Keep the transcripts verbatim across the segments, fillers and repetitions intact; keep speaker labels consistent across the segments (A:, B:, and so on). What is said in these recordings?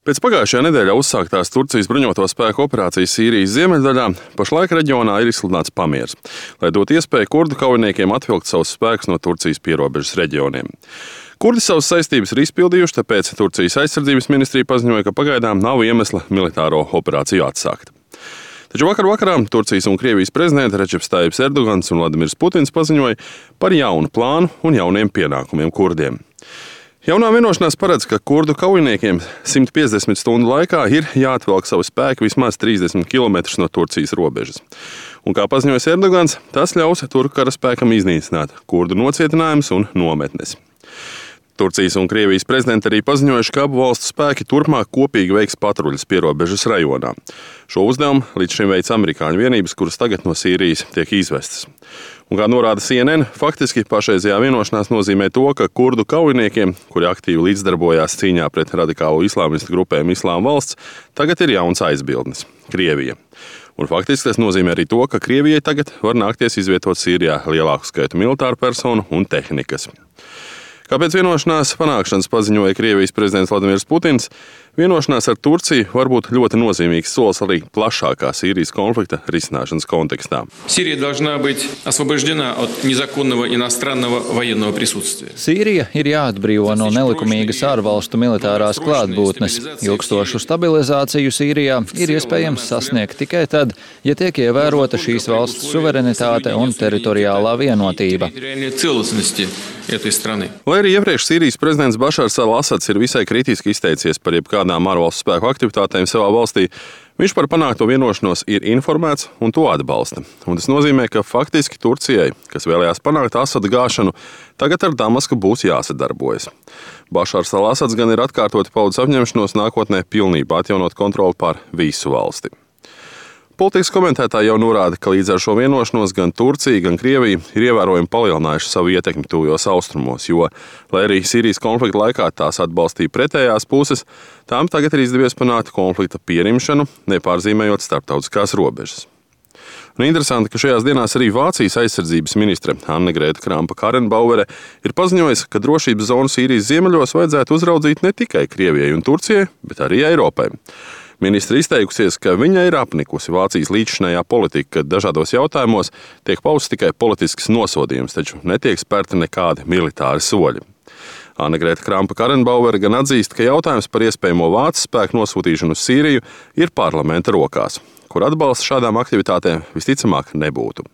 A: Pēc pagājušajā nedēļā uzsāktās Turcijas bruņoto spēku operācijas Sīrijas ziemeļdaļā pašlaik reģionā ir izsludināts pamieris, lai dotu iespēju kurdu kaujiniekiem atvilkt savus spēkus no Turcijas pierobežas reģioniem. Kurdi savas saistības ir izpildījuši, tāpēc Turcijas aizsardzības ministrija paziņoja, ka pagaidām nav iemesla militāro operāciju atsākt. Taču vakar vakarā Turcijas un Krievijas prezidenti Redžeps Tajibs Erdogans un Vladimirs Putins paziņoja par jaunu plānu un jauniem pienākumiem kurdiem. Jaunā vienošanās paredz, ka kurdu kaujiniekiem simt piecdesmit stundu laikā ir jāatvelk savi spēki vismaz trīsdesmit kilometrus no Turcijas robežas. Un, kā paziņoja Erdogans, tas ļaus turku karaspēkam iznīcināt kurdu nocietinājumus un nometnes. Turcijas un Krievijas prezidenti arī paziņojuši, ka abu valstu spēki turpmāk kopīgi veiks patruļas pierobežas rajonā. Šo uzdevumu līdz šim veic amerikāņu vienības, kuras tagad no Sīrijas tiek izvestas. Un, kā norāda C N N, faktiski pašreizējā vienošanās nozīmē to, ka kurdu kaujiniekiem, kuri aktīvi līdzdarbojās cīņā pret radikālo islāmistu grupējumu Islāma valsts, tagad ir jauns aizbildnis – Krievija. Un faktiski tas nozīmē arī to, ka Krievijai tagad var nākties izvietot Sīrijā lielāku skaitu militāru personu un tehnikas. Kāpēc vienošanās panākšanas paziņoja Krievijas prezidents Vladimirs Putins, vienošanās ar Turciju var būt ļoti nozīmīgs solis arī plašākā Sīrijas konflikta risināšanas kontekstā.
B: Sīrija должна быть освобождена от незаконного иностранного военного присутствия.
C: Sīrija ir jāatbrīvo no nelikumīgas ārvalstu militārās klātbūtnes. Ilgstošu stabilizāciju Sīrijā ir iespējams sasniegt tikai tad, ja tiek ievērota šīs valsts suverenitāte un teritoriālā vienotība.
A: Lai arī iepriekš Sīrijas prezidents Bašars al-Asads ir visai kritiski izteicies par jebkādām ārvalstu spēku aktivitātēm savā valstī, viņš par panākto vienošanos ir informēts un to atbalsta. Un tas nozīmē, ka faktiski Turcijai, kas vēlējās panākt Asada gāšanu, tagad ar Damasku būs jāsadarbojas. Bašars al-Asads gan ir atkārtoti paudis apņemšanos nākotnē pilnībā atjaunot kontroli pār visu valsti. Politikas komentētāji jau norāda, ka līdz ar šo vienošanos gan Turcija, gan Krievija ir ievērojami palielinājuši savu ietekmi tuvajos austrumos, jo, lai arī Sīrijas konflikta laikā tās atbalstīja pretējās puses, tām tagad ir izdevies panākt konflikta pierimšanu, nepārzīmējot starptautiskās robežas. Un interesanti, ka šajās dienās arī Vācijas aizsardzības ministre Annegrēta Krampa-Karrenbauere ir paziņojusi, ka drošības zonu Sīrijas ziemeļos vajadzētu uzraudzīt ne tikai Krievijai un Turcijai, bet arī Eiropai. Ministre izteikusies, ka viņa ir apnikusi Vācijas līdzšinējā politika, kad dažādos jautājumos tiek pausts tikai politisks nosodījums, taču netiek spērti nekādi militāri soļi. Annegrēta Krampa-Karrenbauere gan atzīst, ka jautājums par iespējamo vācu spēku nosūtīšanu uz Sīriju ir parlamenta rokās, kur atbalsts šādām aktivitātēm visticamāk nebūtu.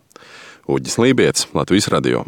A: Uģis Lībietis, Latvijas radio.